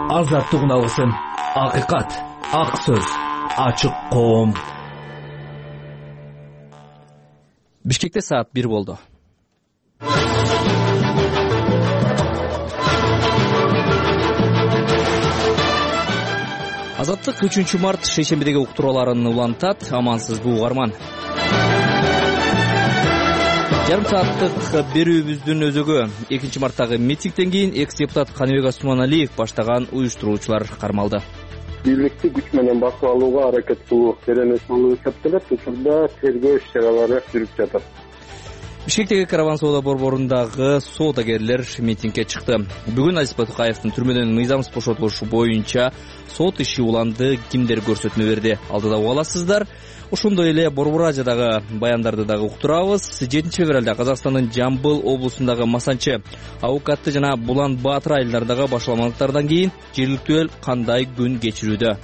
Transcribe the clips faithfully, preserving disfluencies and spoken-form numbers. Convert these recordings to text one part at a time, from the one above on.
азаттыгын алгысың. Акыйкат, ак сөз, ачык коом. Бишкекте саат бир болду. Азаттык үчүнчү март шейшембидеги уктурууларын улантат. Амансызбы угарман. Жарым сааттык берүүбүздүн өзөгү экинчи марттагы митингден кийин экс-депутат Каныбек Осмоналиев баштаган уюштуруучулар кармалды. Бийликти күч менен басып алууга аракет кылуу беренеси болуп эсептелет. Учурда тергөө иш-чаралары жүрүп жатат. Бишкектеги Караван соода борборундагы соодагерлер митингге чыкты. Бүгүн Азиз Батукаевдин түрмөдөн мыйзамсыз бошотулушу боюнча сот иши уланды. Кимдер көрсөтмө берди? Алдыда угаласыздар. Ошондой эле Борбор ажыдагы баяндарды дагы уктурабыз. жетинчи февралда Казакстандын Жамбыл облусундагы Масанчы, Аукатты жана Булан Баатыр айылдарындагы башаламалыктардан кийин жергиликтүү эл кандай күн кечирүүдө?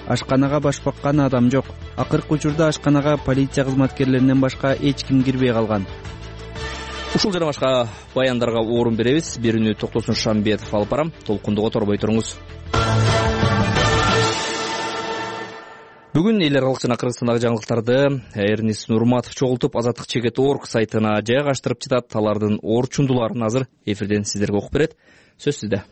Ашканага баш баккан адам жок. Акыркы учурда ашканага полиция кызматкерлеринен башка эч ким кирбей калган. Ушул жана башка баяндарга орун беребиз. Берүүнү Токтосун Шамбетов алып барам. Толкундуга торбой туруңуз. Бүгүн эл аралык жана Кыргызстандагы жаңылыктарды Эрнис Нурматов чогултуп, Азаттык чекет точка орг сайтына жайгаштырып жатат. Алардын орчундуларын азыр эфирден сиздерге окуп берет. Сөз сизде.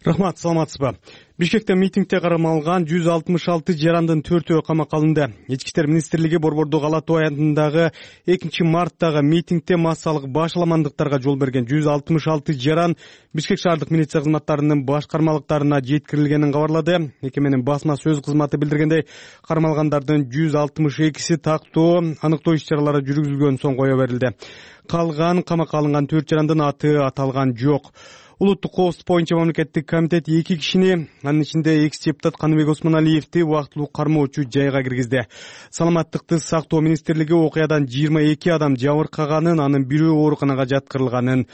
Рахмат, саламатсызбы? Бишкекте митингде кармалган жүз алтымыш алты жарандын төртөө камакка алынды. Ички иштер министрлиги Борбордук Ала Тоо аянтындагы экинчи марттагы митингде массалык башаламандыктарга жол берген жүз алтымыш алты жаран Бишкек шаардык милиция кызматтарынын башкармалыктарына жеткирилгенин кабарлады. Мекеменин басма сөз кызматы билдиргендей, кармалгандардын жүз алтымыш экиси тактоо аныктоо иш-чаралары жүргүзүлгөн соң кое берилди. Калган камакка алынган төрт жарандын аты аталган жок. Улуттук коопсуздук боюнча мамлекеттик комитет эки кишини, анын ичинде экс-депутат Каныбек Осмоналиевди убактылуу кармоочу жайга киргизди. Саламаттыкты сактоо министрлиги окуядан жыйырма эки адам жабыркаганын, анын бирөө ооруканага жаткырылганын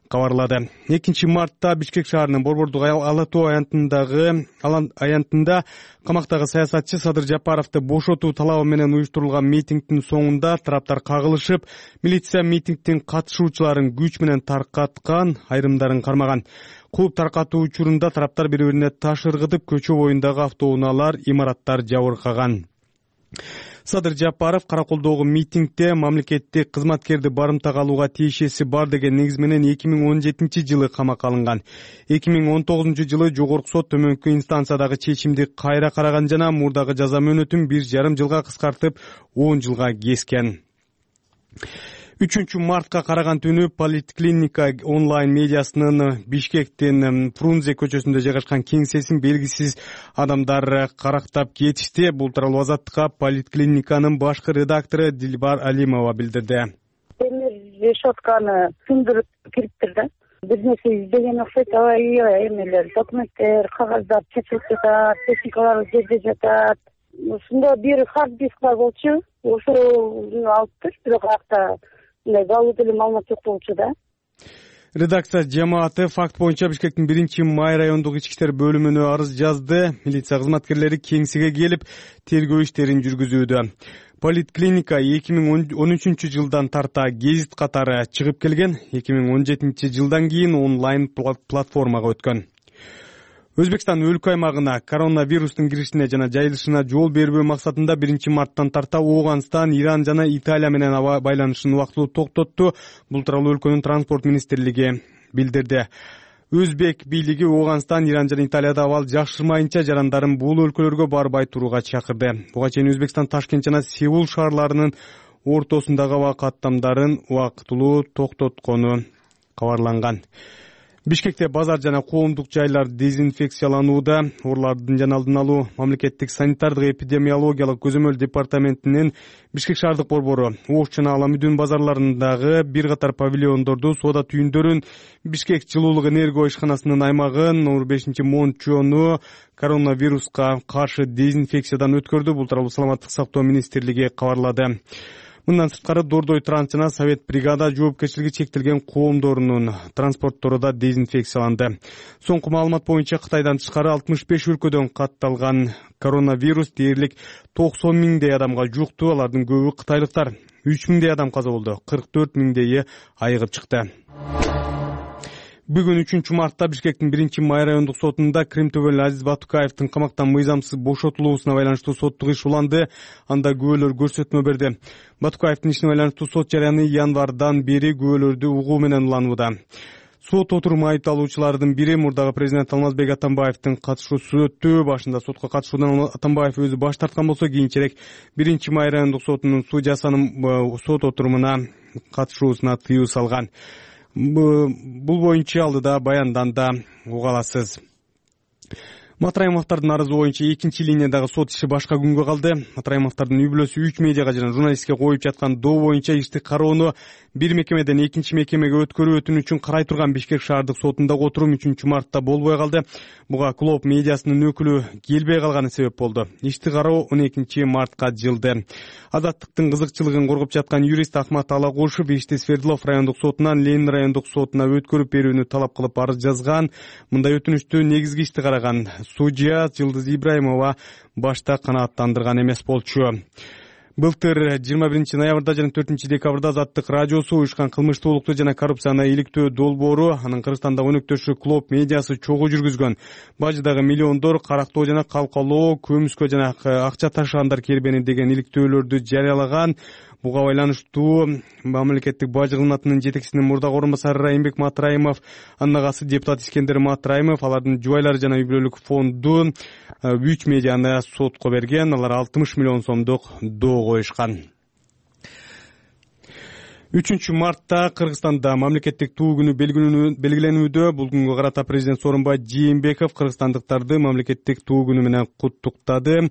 кабарлады. экинчи мартта Бишкек шаарынын Борбордук Ала Тоо аянтындагы аянтында камактагы саясатчы Садыр Жапаровду бошотуу талабы менен уюштурулган митингдин соңунда тараптар кагылышып, милиция митингдин катышуучуларын күч менен таркаткан, айрымдарын кармаган. Кууп таркатуу учурунда тараптар бири-бирине таш ыргытып, көчө боюндагы автоунаалар, имараттар жабыркаган. Садыр Жапаров караколдогу митингде мамлекеттик кызматкерди барымтага алууга тиешеси бар деген негиз менен эки миң он жетинчи жылы камакка алынган. эки миң он тогузунчу жылы жогорку сот төмөнкү инстанциядагы чечимди кайра караган жана мурдагы жаза мөөнөтүн бир жарым жылга кыскартып он жылга кескен. үчүнчү мартка караган түнү Политклиника онлайн медиасынын Бишкектин Фрунзе көчөсүндө жайгашкан кеңсесин белгисиз адамдар карактап кетишти. Бул тууралуу Азаттыкка Политклиниканын башкы редактору Дилбар Алимова билдирди. Темир решетканы сүндүрүп кириптир да. Бир нерсе издеген окшойт, аябай эмелер, документтер, кагаздар чечилип жатат, техникалар жерде жатат. Ушунда бир хард диск бар болчу, ошону алыптыр, бирок акта залуу деле маалымат жок болчу да. Редакция жамааты факт боюнча Бишкектин биринчи май райондук ички иштер бөлүмүнө арыз жазды. Милиция кызматкерлери кеңсеге келип, тергөө иштерин жүргүзүүдө. Политклиника эки миң он үчүнчү жылдан тарта гезит катары чыгып келген, эки миң он жетинчи жылдан кийин онлайн платформага өткөн. Өзбекстан өлкө аймагына коронавирустун киришине жана жайылышына жол бербөө максатында биринчи марттан тарта Ооганстан, Иран жана Италия менен аба байланышын убактылуу токтотту. Бул тууралуу өлкөнүн транспорт министрлиги билдирди. Өзбек бийлиги Ооганстан, Иран жана Италияда абал жакшырмайынча жарандарын бул өлкөлөргө барбай турууга чакырды. Буга чейин Өзбекстан Ташкент жана Сеул шаарларынын ортосундагы аба каттамдарын убактылуу токтоткону кабарланган. Бишкекте базар жана коомдук жайлар дезинфекцияланууда. Оорулардын жана алдын алуу мамлекеттик санитардык эпидемиологиялык көзөмөл департаментинин Бишкек шаардык борбору Ош жана Ала Мүдүн базарларындагы бир катар павильондорду, соода түйүндөрүн, Бишкек жылуулук энергия ишканасынын аймагын, номер бешинчи Мончону коронавируска каршы дезинфекциядан өткөрдү. Бул тууралуу Саламаттык сактоо министрлиги кабарлады. Мындан сырткары Дордой транс жана Совет бригада жоопкерчилиги чектелген коомдорунун транспорттору да дезинфекцияланды. Соңку маалымат боюнча Кытайдан тышкары алтымыш беш өлкөдөн катталган коронавирус дээрлик токсон миңдей адамга жукту. Алардын көбү кытайлыктар. үч миңдей адам каза болду, кырк төрт миңдейи айыгып чыкты. Бүгүн үчүнчү мартта Бишкектин биринчи май райондук сотунда Крим төбөлүү Азиз Батукаевдин камактан мыйзамсыз бошотулуусуна байланыштуу соттук иш уланды. Анда күбөлөр көрсөтмө берди. Батукаевдин ишине байланыштуу сот жарыяны январдан бери күбөлөрдү угуу менен уланууда. Сот отуруму айыпталуучулардын бири мурдагы президент Алмазбек Атамбаевдин катышуусу өттү. Башында сотко катышуудан Атамбаев өзү баш тарткан болсо, кийинчерээк биринчи май райондук сотунун судьясынын сот отурумуна катышуусуна тыюу салган. Бул боюнча алдыда баянданда уга аласыз. Матраимовдордун арызы боюнча экинчи линиядагы сот иши башка күнгө калды. Матраимовдордун үй бүлөсү үч медиага жана журналистке коюп жаткан доо боюнча ишти кароону бир мекемеден экинчи мекемеге өткөрүү өтүнүчүн карай турган Бишкек шаардык сотундагы отурум үчүнчү мартта болбой калды. Буга Клоп медиасынын өкүлү келбей калганы себеп болду. Ишти кароо он экинчи мартка жылды. Азаттыктын кызыкчылыгын коргоп жаткан юрист Ахмат Алагушев ишти Свердлов райондук сотунан Ленин райондук сотуна өткөрүп берүүнү талап кылып арыз жазган. Мындай өтүнүштү негизги ишти караган судья Жылдыз Ибраимова башта канааттандырган эмес болчу. Былтыр жыйырма биринчи ноябрда жана төртүнчү декабрда Азаттык радиосу уюшкан кылмыштуулукту жана коррупцияны иликтөө долбоору анын Кыргызстандагы өнөктөшү Клоп медиасы чогуу жүргүзгөн. Бажыдагы миллиондор карактоо жана калкалоо, көмүскө жана акча ташыгандар кербени деген иликтөөлөрдү жарыялаган. Буга байланыштуу мамлекеттик бажы кызматынын жетекчисинин мурдагы орун басары Райымбек Матраимов, анын агасы депутат Искендер Матраимов алардын жубайлары жана үй бүлөлүк фонду үч медианы сотко берген. Алар алтымыш миллион сомдук доо коюшкан. үчүнчү мартта Кыргызстанда мамлекеттик туу күнү белгиленүүдө. Бул күнгө карата президент Сооронбай Жээнбеков кыргызстандыктарды мамлекеттик туу күнү менен куттуктады.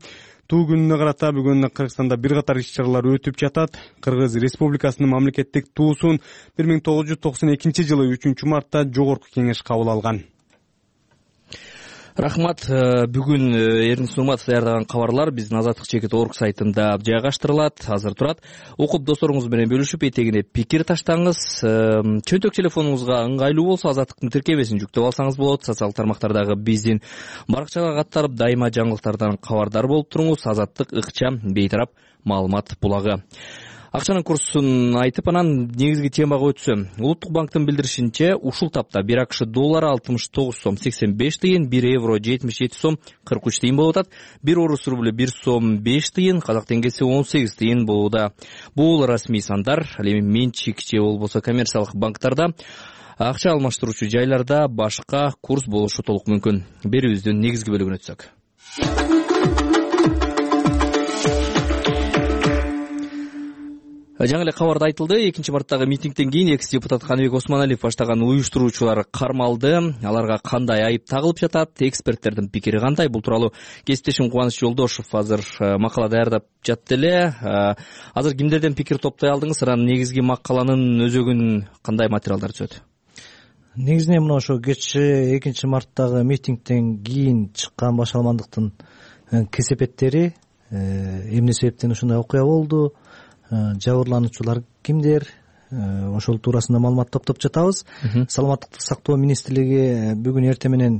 Туу күнүнө карата бүгүн Кыргызстанда бир катар иш-чаралар өтүп жатат. Кыргыз Республикасынын мамлекеттик туусун бир миң тогуз жүз токсон экинчи жылы үчүнчү мартта жогорку кеңеш кабыл алган. Рахмат. Бүгүн Эрнис Нурматов даярдаган кабарлар биздин азаттык чекит орг сайтында жайгаштырылат. Азыр турат. Окуп досторуңуз менен бөлүшүп, этегине пикир таштаңыз. Чөнтөк телефонуңузга ыңгайлуу болсо азаттыктын тиркебесин жүктөп алсаңыз болот. Социалдык тармактардагы биздин баракчага катталып, дайыма жаңылыктардан кабардар болуп туруңуз. Азаттык ыкчам, бейтарап маалымат булагы. Акчанын курсун айтып, анан негизги темага өтсөм. Улуттук банктын билдиришинче, ушул тапта бир АКШ доллары алтымыш тогуз сом сексен беш тыйын, бир евро жетимиш жети сом кырк үч тыйын болуп атат. бир орус рубль бир сом беш тыйын, казак теңгеси он сегиз тыйын болууда. Бул расмий сандар. Ал эми менчик же болбосо коммерциялык банктарда, акча алмаштыруучу жайларда башка курс болушу толук мүмкүн. Берүүбүздүн негизги бөлүгүнө өтсөк. Жаңы эле кабарда айтылды, экинчи марттагы митингден кийин экс депутат Каныбек Осмоналиев баштаган уюштуруучулар кармалды. Аларга кандай айып тагылып жатат, эксперттердин пикири кандай? Бул тууралуу кесиптешим Кубаныч Жолдошев азыр макала даярдап жатты эле. Азыр кимдерден пикир топтой алдыңыз? Анан негизги макаланын өзөгүн кандай материалдар түзөт? Негизинен мына ошо кечээ экинчи марттагы митингден кийин чыккан башалмандыктын кесепеттери, эмне себептен ушундай окуя болду, жабырлануучулар кимдер, ошол туурасында маалымат топтоп жатабыз. Саламаттыкты сактоо министрлиги бүгүн эртең менен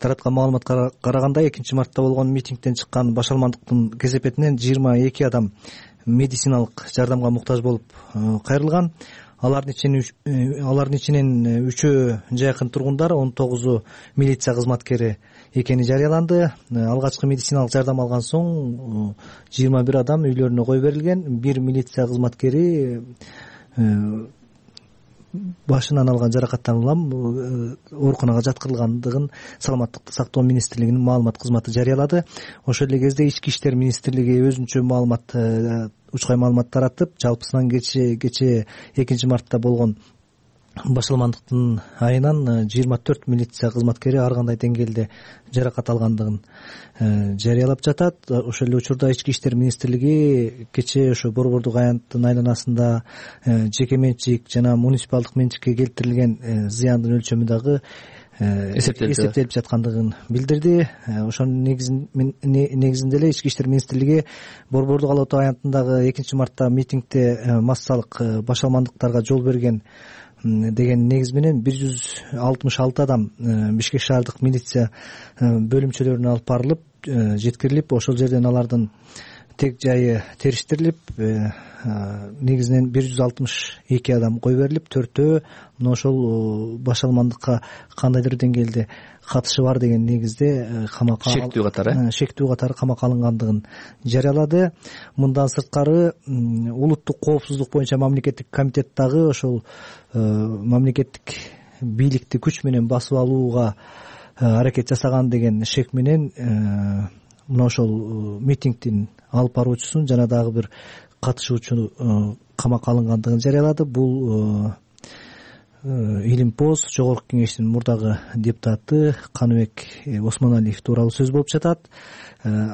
тараткан маалыматка караганда экинчи мартта болгон митингден чыккан башалмандыктын кесепетинен жыйырма эки адам медициналык жардамга муктаж болуп кайрылган. Алардын ичинен үчөө жакын тургундар, он тогузу милиция кызматкери экени жарыяланды. Алгачкы медициналык жардам алган соң жыйырма бир адам үйлөрүнө коюп берилген. Бир милиция кызматкери башынан алган жаракаттан улам ооруканага жаткырылгандыгын Саламаттыкты сактоо министрлигинин маалымат кызматы жарыялады. Ошол эле кезде Ички иштер министрлиги өзүнчө маалымат, учкай маалымат таратып, жалпысынан кечээ кечээ экинчи мартта болгон башалмандыктын айынан жыйырма төрт милиция кызматкери ар кандай деңгээлде жаракат алгандыгын жарыялап жатат. Ошол эле учурда Ички иштер министрлиги кечээ ошо Борбордук аянттын айланасында жеке менчик жана муниципалдык менчикке келтирилген зыяндын өлчөмү дагы эсептелип жаткандыгын билдирди. Ошонун негизинде эле Ички иштер министрлиги Борбордук ала отоо аянтындагы экинчи мартта митингде массалык башалмандыктарга жол берген деген негиз менен бир жүз алтымыш алты адам Бишкек шаардык милиция бөлүмчөлөрүнө алып барылып, жеткирилип, ошол жерден алардын тег жайы териштирилип, негизинен бир жүз алтымыш эки адам кое берилип, төртөө мына ошол башалмандыкка кандайдыр деңгээлде катышы бар деген негизде камакка шектүү катары шектүү катары камакка алынгандыгын жарыялады. Мындан сырткары улуттук коопсуздук боюнча мамлекеттик комитет дагы ошол мамлекеттик бийликти күч менен басып алууга аракет жасаган деген шек менен мына ошол митингдин алып баруучусун жана дагы бир катышуучуну камакка алынгандыгын жарыялады. Бул Илимпоз Жогорку Кеңештин мурдагы депутаты Каныбек Осмоналиев тууралуу сөз болуп жатат.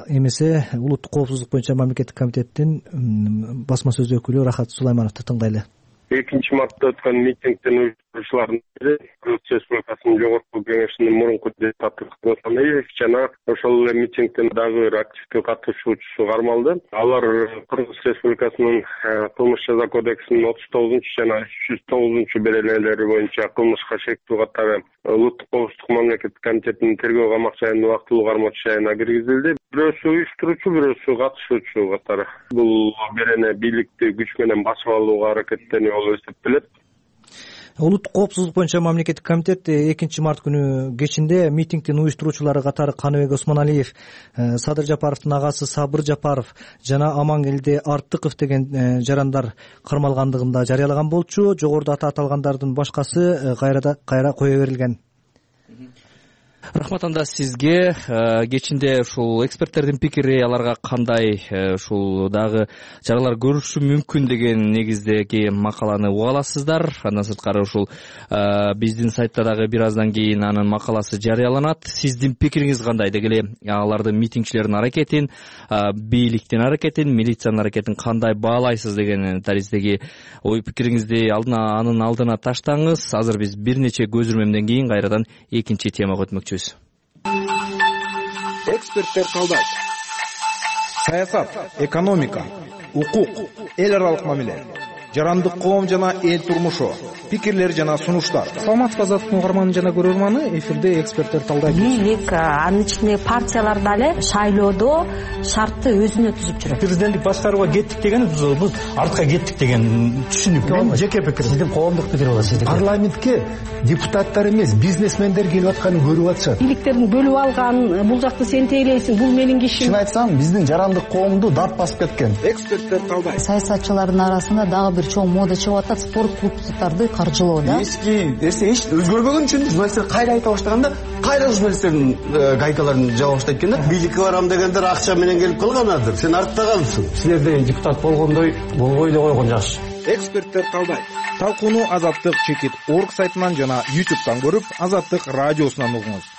Эмесе улуттук коопсуздук боюнча мамлекеттик комитеттин басма сөз өкүлү Рахат Сулаймановду тыңдайлы. экинчи мартта өткөн митингдин уюштуруучулардын бири Кыргыз Республикасынын Жогорку Кеңешинин мурунку депутаты Осмоналиев жана ошол эле митингдин дагы бир активдүү катышуучусу кармалды. Алар Кыргыз Республикасынын кылмыш жаза кодексинин отуз тогузунчу жана үч жүз тогузунчу беренелери боюнча кылмышка шектүү катары улуттук коопсуздук мамлекеттик комитетинин тергөө камак жайын убактылуу кармоочу жайына киргизилди. Бирөөсү уюштуруучу, бирөөсү катышуучу катары. Бул берене бийликти күч менен басып алууга аракеттенип болуп эсептелет. Улуттук коопсуздук боюнча мамлекеттик комитет экинчи март күнү кечинде митингдин уюштуруучулары катары Каныбек Осмоналиев, Садыр Жапаровдун агасы Сабыр Жапаров жана Амангелди Артыков деген жарандар кармалгандыгын да жарыялаган болчу. Жогоруда аты аталгандардын башкасы кайра кайра кое берилген. Рахмат анда сизге. Кечинде ушул эксперттердин пикири аларга кандай ушул дагы чаралар көрүшү мүмкүн деген негиздеги макаланы уга аласыздар. Андан сырткары ушул биздин сайтта дагы бир аздан кийин анын макаласы жарыяланат. Сиздин пикириңиз кандай? Деги эле алардын митингчилердин аракетин, бийликтин аракетин, милициянын аракетин кандай баалайсыз деген тариздеги ой пикириңизди алдына анын алдына таштаңыз. Азыр биз бир нече көзүрмөмдөн кийин кайрадан экинчи темага өтмөкчүбүз. Эксперттер талдайт. Саясат, экономика, укук, эл аралык мамиле, жарандык коом жана эл турмушу, пикирлер жана сунуштар. Саламатсызбы азаттык угарманы жана көрөрманы, эфирде эксперттер талдайт. Бийлик, анын ичинде партиялар дагы шайлоодо шартты өзүнө түзүп жүрөт. Президенттик башкарууга кеттик деген биз артка кеттик деген түшүнүк. Мен жеке пикирим. Сиздин коомдук пикир болот. Сиздин парламентке депутаттар эмес, бизнесмендер келип атканын көрүп атышат. Бийликтердин бөлүп алган, бул жакты сен тейлейсиң, бул менин кишим. Чын айтсам, биздин жарандык коомду дат басып кеткен. Эксперттер талдайт. Саясатчылардын арасында дагы бир чоң мода чыгып атат, спорт клубдарды каржылоо да. Эски нерсе эч өзгөрбөгөн үчүн журналисттер кайра айта баштаганда, кайра журналисттердин гайкаларын жаба баштайт экен да. Бийликке барам дегендер акча менен келип калганадыр. Сен артта калсың. Силерде депутат болгондой болбой эле койгон жакшы. Эксперттер талдайт. Талкууну Азаттык чекит орг сайтынан жана ютубтан көрүп, Азаттык радиосунан угуңуз.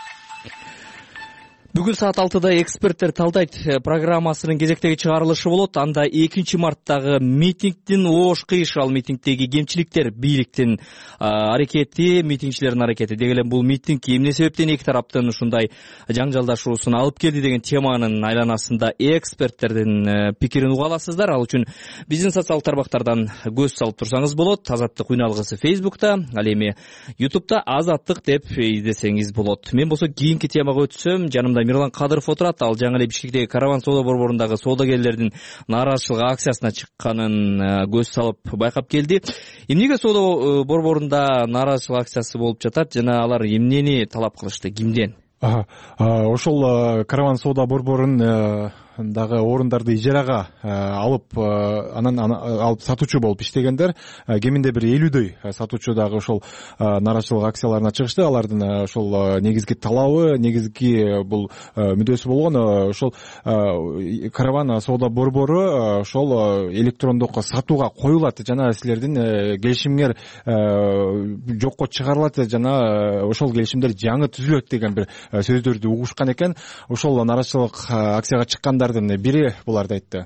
Бүгүн саат алтыда эксперттер талдайт программасынын кезектеги чыгарылышы болот. Анда экинчи марттагы митингдин оош кыйышы, ал митингдеги кемчиликтер, бийликтин аракети, митингчилердин аракети. Деги эле бул митинг эмне себептен эки тараптын ушундай жаңжалдашуусуна алып келди деген теманын айланасында эксперттердин пикирин уга аласыздар. Ал үчүн биздин социалдык тармактардан көз салып турсаңыз болот. Азаттык уйналгысы Фейсбукта, ал эми ютубта Азаттык деп издесеңиз болот. Мен болсо кийинки темага өтсөм, жанымда Мирлан Кадыров отурат. Ал жаңы эле Бишкектеги караван соода борборундагы соодагерлердин нааразычылык акциясына чыкканын көз салып байкап келди. Эмнеге соода борборунда нааразычылык акциясы болуп жатат жана алар эмнени талап кылышты, кимден? Ошол караван соода борборун дагы орундарды ижарага алып анан алып сатуучу болуп иштегендер кеминде бир элүүдөй сатуучу дагы ошол нааразычылык акцияларына чыгышты. Алардын ошол негизги талабы, негизги бул мүддөсү болгон ошол караван соода борбору ошол электрондук сатууга коюлат жана силердин келишимиңер жокко чыгарылат жана ошол келишимдер жаңы түзүлөт деген бир сөздөрдү угушкан экен. Ошол нааразычылык акцияга чыккандар бири буларды айтты.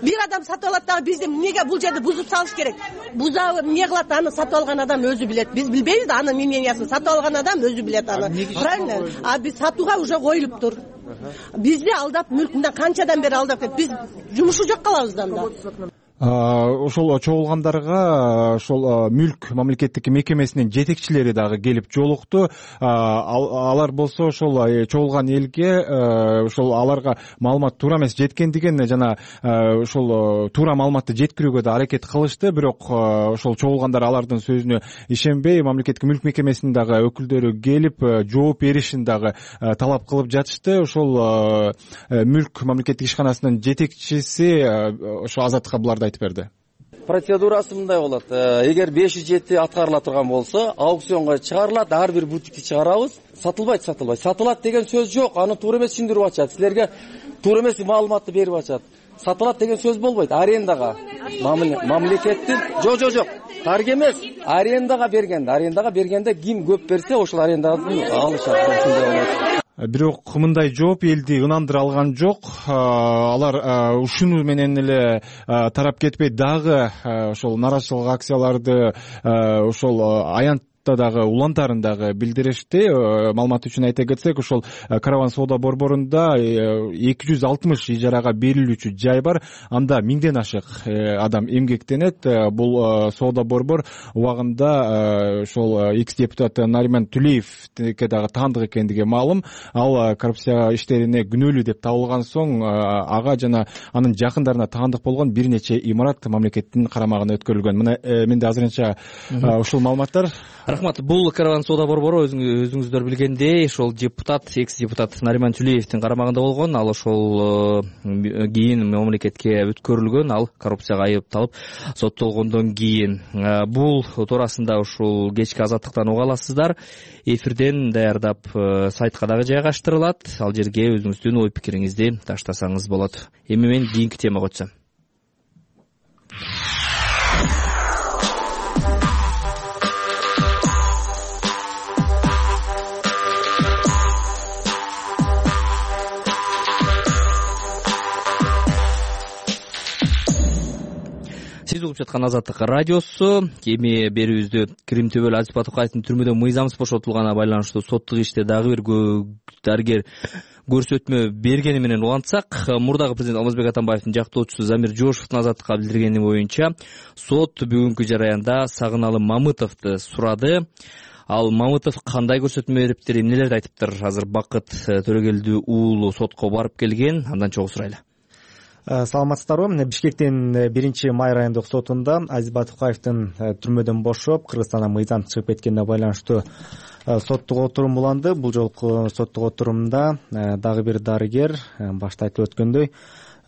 Бир адам сатып алат дагы бизде эмнеге бул жерде бузуп салыш керек? Буза эмне кылат, аны сатып алган адам өзү билет. Биз билбейбиз да, анын мнениясын сатып алган адам өзү билет аны. Правильно? А биз сатууга уже коюлуптур. Бизди алдап, мүлкүнөн канчадан бери алдап кетти. Биз жумушу жок калабыздан да. ошол чогулгандарга ошол мүлк мамлекеттик мекемесинин жетекчилери дагы келип жолукту. Алар болсо ошол чогулган элге ошол аларга маалымат туура эмес жеткендигин жана ошол туура маалыматты жеткирүүгө да аракет кылышты. Бирок ошол чогулгандар алардын сөзүнө ишенбей, мамлекеттик мүлк мекемесинин дагы өкүлдөрү келип жооп беришин дагы талап кылып жатышты. Ошол мүлк мамлекеттик ишканасынын жетекчиси ошо Азаттыкка буларды айтып берди. Процедурасы мындай болот. Эгер беши жети аткарыла турган болсо, аукционго чыгарылат, ар бир бутикти чыгарабыз. Сатылбайт, сатылбайт. Сатылат деген сөз жок. Аны туура эмес түшүндүрүп атышат. Силерге туура эмес маалыматты берип атышат. Сатылат деген сөз болбойт. Арендага мамлекеттин жок жок жок. Тарга эмес, арендага бергенде, арендага бергенде ким көп берсе, ошол аренданы алышат. Бирок мындай жооп элди ынандыра алган жок. Алар ушуну менен эле тарап кетпей, дагы ошол нааразычылык акцияларды ошол аянт дагы улантарын дагы билдиришти. Маалымат үчүн айта кетсек, ошол Караван соода борборунда эки жүз алтымыш ижарага берилүүчү жай бар. Анда миңден ашык адам эмгектенет. Бул соода борбор убагында ошол экс депутат Нариман Түлеевке дагы таандык экендиги маалым. Ал коррупция иштерине күнөөлүү деп табылган соң, ага жана анын жакындарына таандык болгон бир нече имарат мамлекеттин карамагына өткөрүлгөн. Мына менде азырынча ушул маалыматтар. Рахмат. Бул Караван соода борбору өзүңүздөр билгендей, ошол депутат, экс депутат Нариман Түлеевдин карамагында болгон. Ал ошол кийин мамлекетке өткөрүлгөн. Ал коррупцияга айыпталып соттолгондон кийин. Бул туурасында ушул кечки Азаттыктан уга аласыздар. Эфирден даярдап сайтка дагы жайгаштырылат. Ал жерге өзүңүздүн ой пикириңизди таштасаңыз болот. Эми мен кийинки темага өтсөм. Сиз угуп жаткан Азаттык радиосу. Эми берүүбүздү Крим Төбөл Азиз Батукаевдин түрмөдөн мыйзамсыз бошотулганына байланыштуу соттук иште дагы бир дарыгер көрсөтмө бергени менен улантсак, мурдагы президент Алмазбек Атамбаевдин жактоочусу Замир Жошовдун Азаттыкка билдиргени боюнча, сот бүгүнкү жараянда Сагыналы Мамытовду сурады. Ал Мамытов кандай көрсөтмө бериптир, эмнелерди айтыптыр? Азыр Бакыт Төрөгелдүү уулу сотко барып келген. Андан чогуу сурайлы. Саламатсыздарбы? Бишкектин биринчи май райондук сотунда Азиз Батукаевдин түрмөдөн бошоп, Кыргызстандан мыйзам чыгып кеткенине байланыштуу соттук отурум уланды. Бул жолку соттук отурумда дагы бир дарыгер, башта айтып өткөндөй,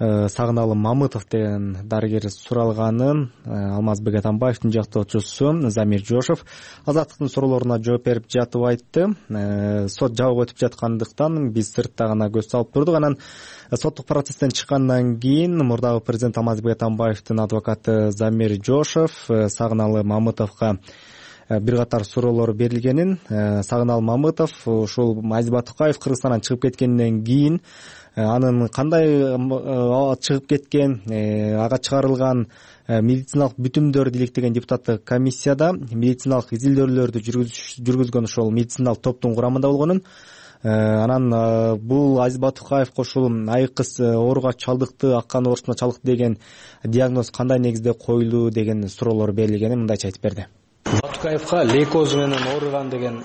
Сагыналы Мамытов деген дарыгер суралганын Алмазбек Атамбаевдин жактоочусу Замир Жошов Азаттыктын суроолоруна жооп берип жатып айтты. Сот жабык өтүп жаткандыктан биз сыртта гана көз салып турдук. Анан соттук процесстен чыккандан кийин мурдагы президент Алмазбек Атамбаевдин адвокаты Замир Жошов Сагыналы Мамытовго бир катар суроолор берилгенин, Сагыналы Мамытов ушул Азиз Батукаев Кыргызстандан чыгып кеткенден кийин анын кандай чыгып кеткен, ага чыгарылган медициналык бүтүмдөрдү иликтеген депутаттык комиссияда медициналык изилдөөлөрдү жүргүзгөн ошол медициналык топтун курамында болгонун, анан бул Азиз Батукаевго ушул айкыз ооруга чалдыкты, ак кан оорусуна чалдыкты деген диагноз кандай негизде коюлду деген суроолор берилгенин мындайча айтып берди. Батукаевга лейкоз менен ооруган деген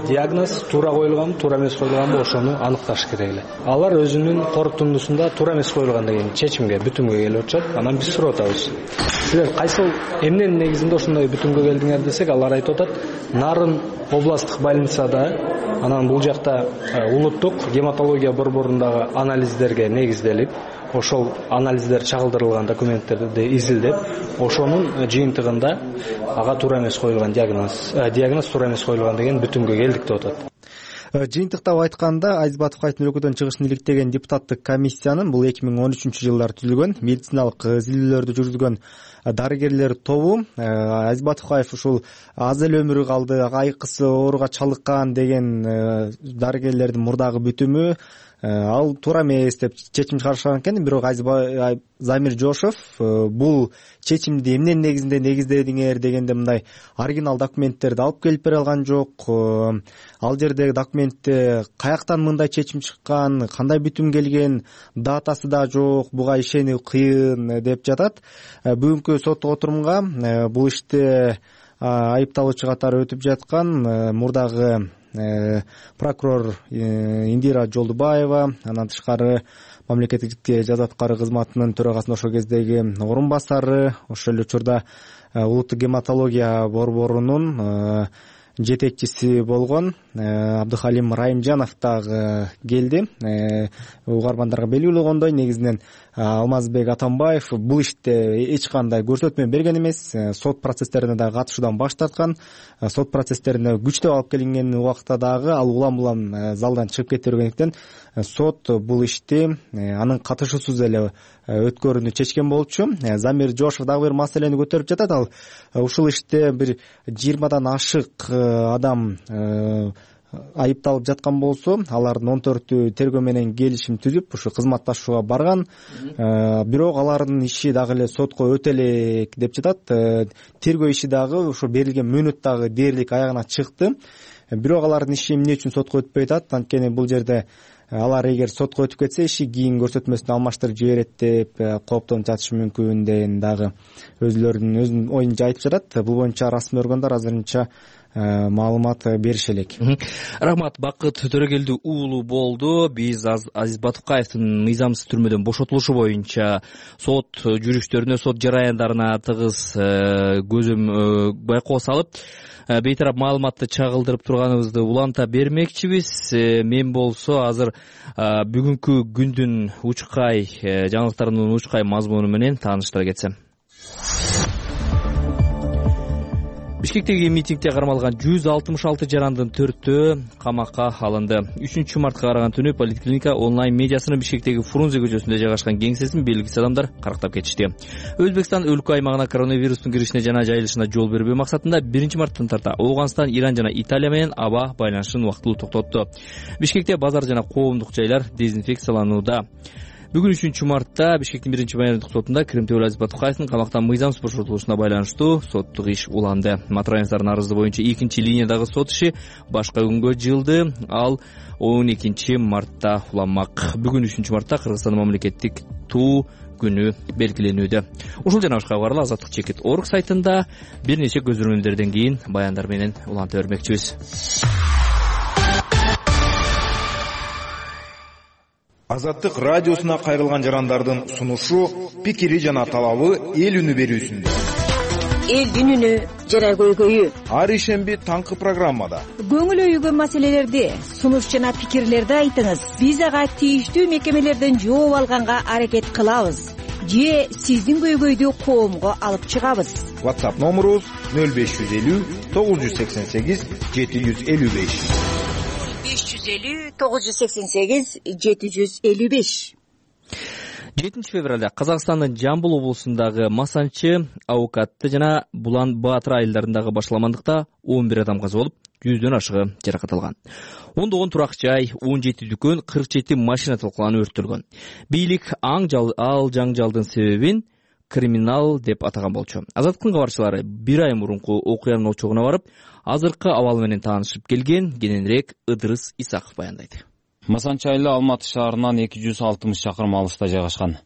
диагноз туура коюлганбы, туура эмес коюлганбы, ошону аныкташ керек эле. Алар өзүнүн корутундусунда туура эмес коюлган деген чечимге, бүтүмгө келип атышат. Анан биз сурап атабыз. Силер кайсыл эмненин негизинде ошондой бүтүмгө келдиңер десек, алар айтып атат, Нарын областтык больницада, анан бул жакта улуттук гематология борборундагы анализдерге негизделип, ошол анализдер чагылдырылган документтерди изилдеп, ошонун жыйынтыгында ага туура эмес коюлган диагноз, диагноз туура эмес коюлган деген бүтүмгө келдик деп атат. Жыйынтыктап айтканда, Азиз Батукаевдин өлкөдөн чыгышын иликтеген депутаттык комиссиянын бул эки миң он үчүнчү жылдары түзүлгөн медициналык изилдөөлөрдү жүргүзгөн дарыгерлер тобу Азиз Батукаев ушул аз эле өмүрү калды, айкыз ооруга чалдыккан деген дарыгерлердин мурдагы бүтүмү ал туура эмес деп чечим чыгарышкан экен. Бирок Замир Жошов бул чечимди эмненин негизинде негиздедиңер дегенде мындай оригинал документтерди алып келип бере алган жок. Ал жердеги документте каяктан мындай чечим чыккан, кандай бүтүм келген, датасы да жок, буга ишенүү кыйын деп жатат. Бүгүнкү соттук отурумга бул иште айыпталуучу катары өтүп жаткан мурдагы прокурор Индира Жолдубаева, андан тышкары мамлекеттик жаза аткаруу кызматынын төрагасынын ошол кездеги орун басары, ошол эле учурда улуттук гематология борборунун жетекчиси болгон Абдыхалим Райымжанов дагы келди. Угармандарга белгилүү болгондой, негизинен Алмазбек Атамбаев бул иште эч кандай көрсөтмө берген эмес, сот процесстерине дагы катышуудан баш тарткан. Сот процесстерине күчтөп алып келинген убакта дагы ал улам-улам залдан чыгып кете бергендиктен сот бул ишти анын катышуусуз эле өткөрүүнү чечкен болчу. Замир Жошов дагы бир маселени көтөрүп жатат. Ал ушул иште бир жыйырмадан ашык адам айыпталып жаткан болсо, алардын он төртү тергөө менен келишим түзүп ушу кызматташууга барган. Бирок алардын иши дагы эле сотко өтө элек деп жатат. Тергөө иши дагы ушу берилген мөөнөт дагы дээрлик аягына чыкты. Бирок алардын иши эмне үчүн сотко өтпөй атат? Анткени бул жерде алар эгер сотко өтүп кетсе, иши кийин көрсөтмөсүн алмаштырып жиберет деп кооптонуп жатышы мүмкүн деген дагы өзүлөрүнүн өзүнүн оюн айтып жатат. Бул боюнча расмий органдар азырынча маалымат берише элек. Рахмат. Бакыт Төрөгелди уулу болду. Биз Азиз Батукаевдин мыйзамсыз түрмөдөн бошотулушу боюнча сот жүрүштөрүнө, сот жараяндарына тыгыз көзөм байкоо салып, бейтарап маалыматты чагылдырып турганыбызды уланта бермекчибиз. Мен болсо азыр бүгүнкү күндүн учкай жаңылыктарынын учкай мазмуну менен тааныштыра кетсем. Бишкектеги митингде кармалган жүз алтымыш алты жарандын төртөө камакка алынды. үчүнчү мартка караган түнү поликлиника онлайн медиасынын Бишкектеги Фрунзе көчөсүндө жайгашкан кеңсесин белгисиз адамдар карактап кетишти. Өзбекстан өлкө аймагына коронавирустун киришине жана жайылышына жол бербөө максатында биринчи марттан тарта Ооганстан, Иран жана Италия менен аба байланышын убактылуу токтотту. Бишкекте базар жана коомдук жайлар дезинфекцияланууда. Бүгүн үчүнчү мартта Бишкектин биринчи майордук сотунда Кыримтөөлү Азиз Батукаевдин камактан мыйзамсыз бошотулушуна байланыштуу соттук иш уланды. Матраевдардын арызы боюнча экинчи линиядагы сот иши башка күнгө жылды. Ал он экинчи мартта уланмак. Бүгүн үчүнчү мартта Кыргызстандын мамлекеттик туу күнү белгиленүүдө. Ушул жана башка кабарлар Азаттык чекит орг сайтында бир нече көзөрмөлдөрдөн кийин баяндар менен уланта бермекчибиз. Азаттык радиосуна кайрылган жарандардын сунушу, пикири жана талабы эл үнү берүүсүндө. Элдин үнү жара көйгөйү. Ар ишемби таңкы программада көңүл өйгөн маселелерди, сунуш жана пикирлерди айтыңыз. Биз ага тийиштүү мекемелерден жооп алганга аракет кылабыз. Же сиздин көйгөйдү коомго алып чыгабыз. WhatsApp номерубуз нөл беш жүз элүү тогуз жүз сексен сегиз жети жүз элүү беш. беш жүз элүү тогуз жүз сексен сегиз жети жүз элүү беш. жетинчи февралда Казакстандын Жамбыл облусундагы Масанчы, Аукатты жана Булан Баатыр айылдарындагы башаламандыкта он бир адам каза болуп, жүздөн ашыгы жаракат алган. ондогон турак жай, он жети дүкөн, кырк жети машина талкаланып өрттөлгөн. Бийлик аң жал, ал жаңжалдын себебин криминал деп атаган болчу. Азаттыктын кабарчылары бир ай мурунку окуянын очогуна барып, азыркы абалы менен таанышып келген. Кененирээк Ыдырыс Исаков баяндайт. Масанчы айылы Алматы шаарынан эки жүз алтымыш чакырым алыста жайгашкан.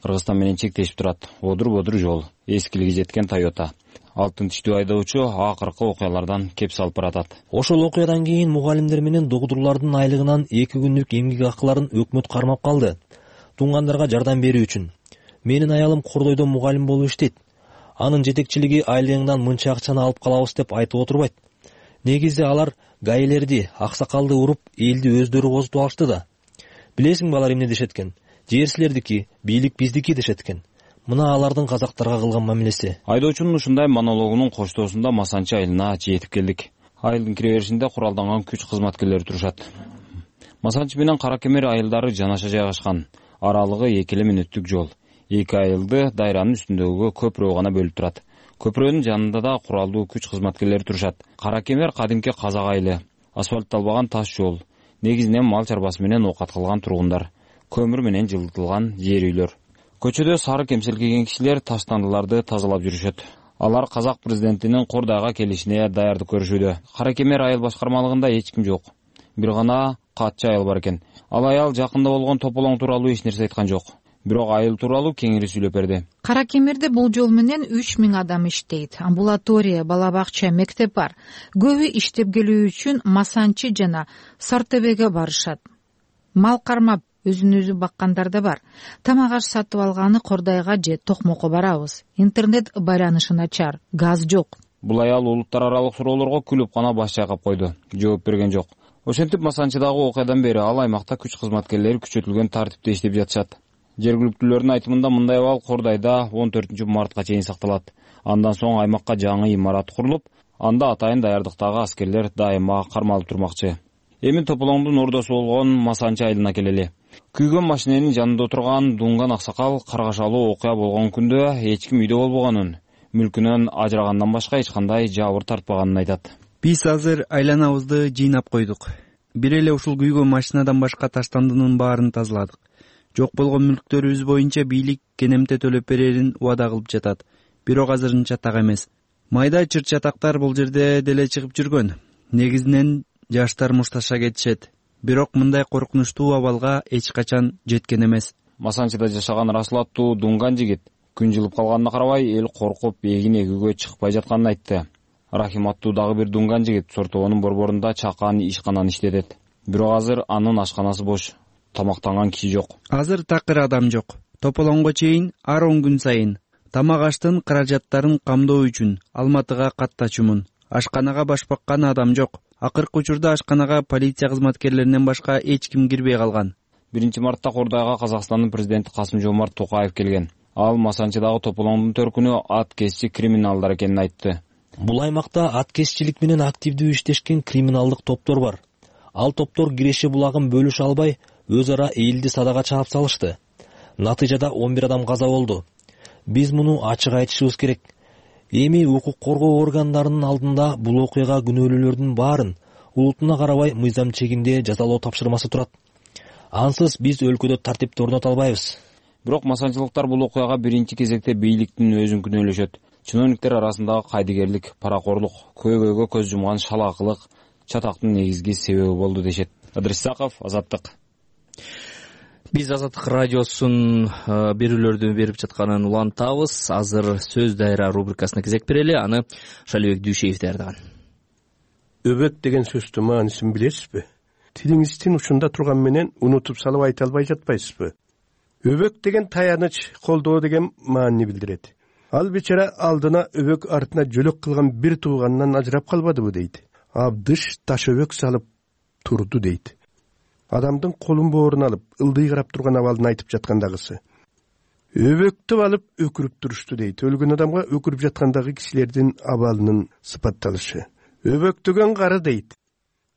Кыргызстан менен чектешип турат. Одур-бодур жол, эскилиги жеткен Toyota. Алтын тиштүү айдоочу акыркы окуялардан кеп салып баратат. Ошол окуядан кийин мугалимдер менен догдурлардын айлыгынан эки күндүк эмгек акыларын өкмөт кармап калды. Тунгандарга жардам берүү үчүн. Менин аялым Кордойдо мугалим болуп иштейт. Анын жетекчилиги айлыгыңдан мынча акчаны алып калабыз деп айтып отурбайт. Негизи алар гаилерди, аксакалды уруп, элди өздөрү козутуп алышты да. Билесиңби алар эмне дешеткен? Жер силердики, бийлик биздики дешеткен. Мына алардын казактарга кылган мамилеси. Айдоочунун ушундай монологунун коштоосунда Масанчы айылына жетип келдик. Айылдын кире беришинде куралданган күч кызматкерлери турушат. Масанчы менен Каракемер айылдары жанаша жайгашкан. Аралыгы эки эле мүнөттүк жол. Эки айылды дайранын үстүндөгү көпүрө гана бөлүп турат. Көпүрөнүн жанында да куралдуу күч кызматкерлери турушат. Каракемер кадимки казак айылы, асфальтталбаган таш жол, негизинен мал чарбасы менен оокат кылган тургундар, көмүр менен жылытылган жер үйлөр. Көчөдө сары кемсел кийген кишилер таштандыларды тазалап жүрүшөт. Алар казак президентинин Кордайга келишине даярдык көрүшүүдө. Каракемер айыл башкармалыгында эч ким жок. Бир гана катчы айыл бар экен. Ал аял жакында болгон тополоң тууралуу эч нерсе айткан жок. Бирок айыл тууралуу кеңири сүйлөп берди. Каракемерде бул жол менен үч миң адам иштейт. Амбулатория, бала бакча, мектеп бар. Көбү иштеп келүү үчүн Масанчы жана Сортөбөгө барышат. Мал кармап өзүн өзү баккандар да бар. Тамак аш сатып алганы Кордайга же Токмокко барабыз. Интернет байланышы начар, газ жок. Бул аял улуттар аралык суроолорго күлүп гана баш чайкап койду. Жооп берген жок. Ошентип Масанчыдагы окуядан бери ал аймакта күч кызматкерлери күчөтүлгөн тартипте иштеп жатышат. Жергиликтүүлөрдүн айтымында мындай абал Кордайда он төртүнчү мартка чейин сакталат. Андан соң аймакка жаңы имарат курулуп, анда атайын даярдыктагы аскерлер дайыма кармалып турмакчы. Эми тополоңдун ордосу болгон Масанчы айылына келели. Күйгөн машиненин жанында отурган Дунган аксакал каргашалуу окуя болгон күндө эч ким үйдө болбогонун, мүлкүнөн ажырагандан башка эч кандай жабыр тартпаганын айтат. Биз азыр айланабызды жыйнап койдук. Бир эле ушул күйгөн машинадан башка таштандынын баарын тазаладык. Жок болгон мүлктөрүбүз боюнча бийлик кенемте төлөп берерин убада кылып жатат. Бирок азырынча так эмес. Майда чыр чатактар бул жерде деле чыгып жүргөн. Негизинен жаштар мушташа кетишет. Бирок мындай коркунучтуу абалга эч качан жеткен эмес. Масанчыда жашаган Расул аттуу Дунган жигит күн жылып калганына карабай эл коркуп эгин эгүүгө чыкпай жатканын айтты. Рахим аттуу дагы бир Дунган жигит Сортобонун борборунда чакан ишкананы иштетет. Бирок азыр анын ашканасы бош. Тамактанган киши жок. Азыр такыр адам жок. Тополоңго чейин ар он күн сайын тамак аштын каражаттарын камдоо үчүн Алматыга каттачумун. Ашканага баш баккан адам жок. Акыркы учурда ашканага полиция кызматкерлеринен башка эч ким кирбей калган. биринчи мартта Кордайга Казакстандын президенти Касым-Жомарт Токаев келген. Ал Масанчыдагы тополоңдун төркүнү ат кесчи криминалдар экенин айтты. Бул аймакта ат кесчилик менен активдүү иштешкен криминалдык топтор бар. Ал топтор Киреше булагын бөлүшө албай өз ара элди садага чаап салышты. Натыйжада он бир адам каза болду. Биз муну ачык айтышыбыз керек. Эми укук коргоо органдарынын алдында бул окуяга күнөөлүүлөрдүн баарын улутуна карабай мыйзам чегинде жазалоо тапшырмасы турат. Ансыз биз өлкөдө тартипти орното албайбыз. Бирок масанчылыктар бул окуяга биринчи кезекте бийликтин өзүн күнөөлөшөт. Чиновниктер арасындагы кайдыгерлик, паракорлук, көйгөйгө көз жумган шалаакылык чатактын негизги себеби болду дешет. Ыдырыс Исаков, Азаттык. Биз Азаттык радиосунун берүүлөрдү берип жатканын улантабыз. Азыр сөз дайра рубрикасына кезек берели. Аны Шалибек Дүйшеев даярдаган. Өбөк деген сөздүн маанисин билесизби? Тилиңиздин учунда турган менен унутуп салып айта албай жатпайсызбы? Өбөк деген таяныч, колдоо деген маани билдирет. Ал бечара алдына өбөк артына жөлөк кылган бир тууганынан ажырап калбадыбы дейт. Абдыш таш өбөк салып турду дейт. Адамдын колун боорун алып, ылдый карап турган абалын айтып жаткандагысы. Өбөктү алып өкүрүп турушту дейт. Өлгөн адамга өкүрүп жаткандагы кишилердин абалынын сыпатталышы. Өбөктөгөн кары дейт.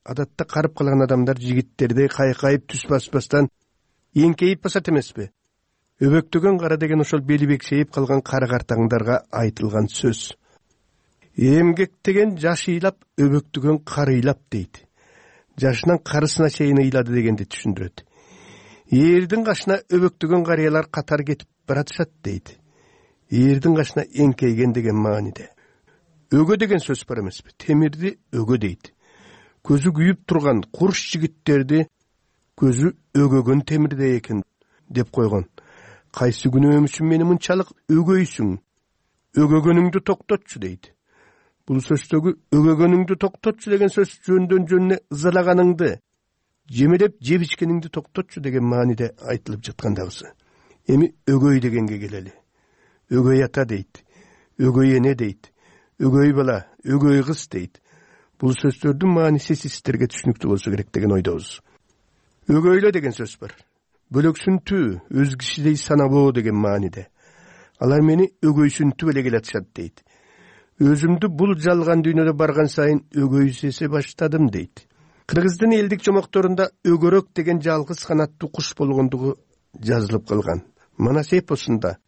Адатта карып калган адамдар жигиттердей кайкайып түс баспастан эңкейип басат эмеспи? Өбөктөгөн кары деген ошол бели бексейип калган кары картаңдарга айтылган сөз. Эмгектеген жаш ыйлап, өбөктөгөн кары ыйлап дейт. Жашынан карысына чейин ыйлады дегенди түшүндүрөт. Эрдин кашына өбөктөгөн карыялар катар кетип баратышат дейт. Эрдин кашына эңкейген деген мааниде. Өгө деген сөз бар эмеспи? Темирди өгө дейт. Көзү күйүп турган курш жигиттерди көзү өгөгөн темирдей экен деп койгон. Кайсы күнөөм үчүн мени мынчалык өгөйсүң? Өгөгөнүңдү токтотчу дейт. Бул сөздөгү өгөгөнүңдү токтотчу деген сөз жөндөн жөнүнө ызалаганыңды, жемелеп жеп ичкениңди токтотчу деген мааниде айтылып жаткандагысы. Эми өгөй дегенге келели. Өгөй ата дейт, өгөй эне дейт, өгөй бала, өгөй кыз дейт. Бул сөздөрдүн мааниси сиздерге түшүнүктүү болсо керек деген ойдобуз. Өгөйлө деген сөз бар. Бөлөксүнтүү, өз кишидей санабоо деген мааниде. Алар мени өгөйсүнтүү эле келатышат дейт. Өзүмдү бул жалган дүйнөдө барган сайын өгөйсесе баштадым дейт. Кыргыздын элдик жомокторунда өгөрөк деген жалгыз канаттуу куш болгондугу жазылып калган. Манас эпосунда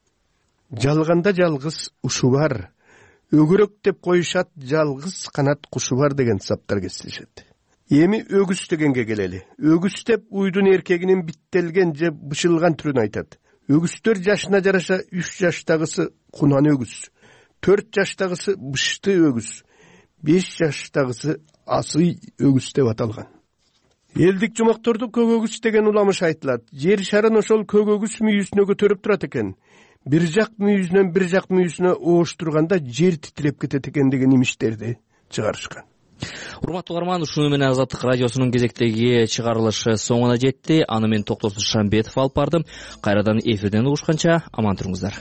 жалганда жалгыз ушу бар, өгөрөк деп коюшат жалгыз канат кушу бар деген саптар кесилишет. Эми өгүз дегенге келели. Өгүз деп уйдун эркегинин биттелген же бышылган түрүн айтат. Өгүздөр жашына жараша үч жаштагысы кунан өгүз, төрт жаштагысы бышты өгүз, беш жаштагысы асый өгүз деп аталган. Элдик жумакторду көк өгүз деген уламыш айтылат. Жер шарын ошол көк өгүз мүйүсүнө көтөрүп турат экен. Бир жак мүйүзүнөн бир жак мүйүсүнө ооштурганда жер титиреп кетет экен деген имиштерди чыгарышкан. Урматтуу угарман, ушуну менен Азаттык радиосунун кезектеги чыгарылышы соңуна жетти. Аны мен Токтосун Шамбетов алып бардым. Кайрадан эфирден угушканча аман туруңуздар.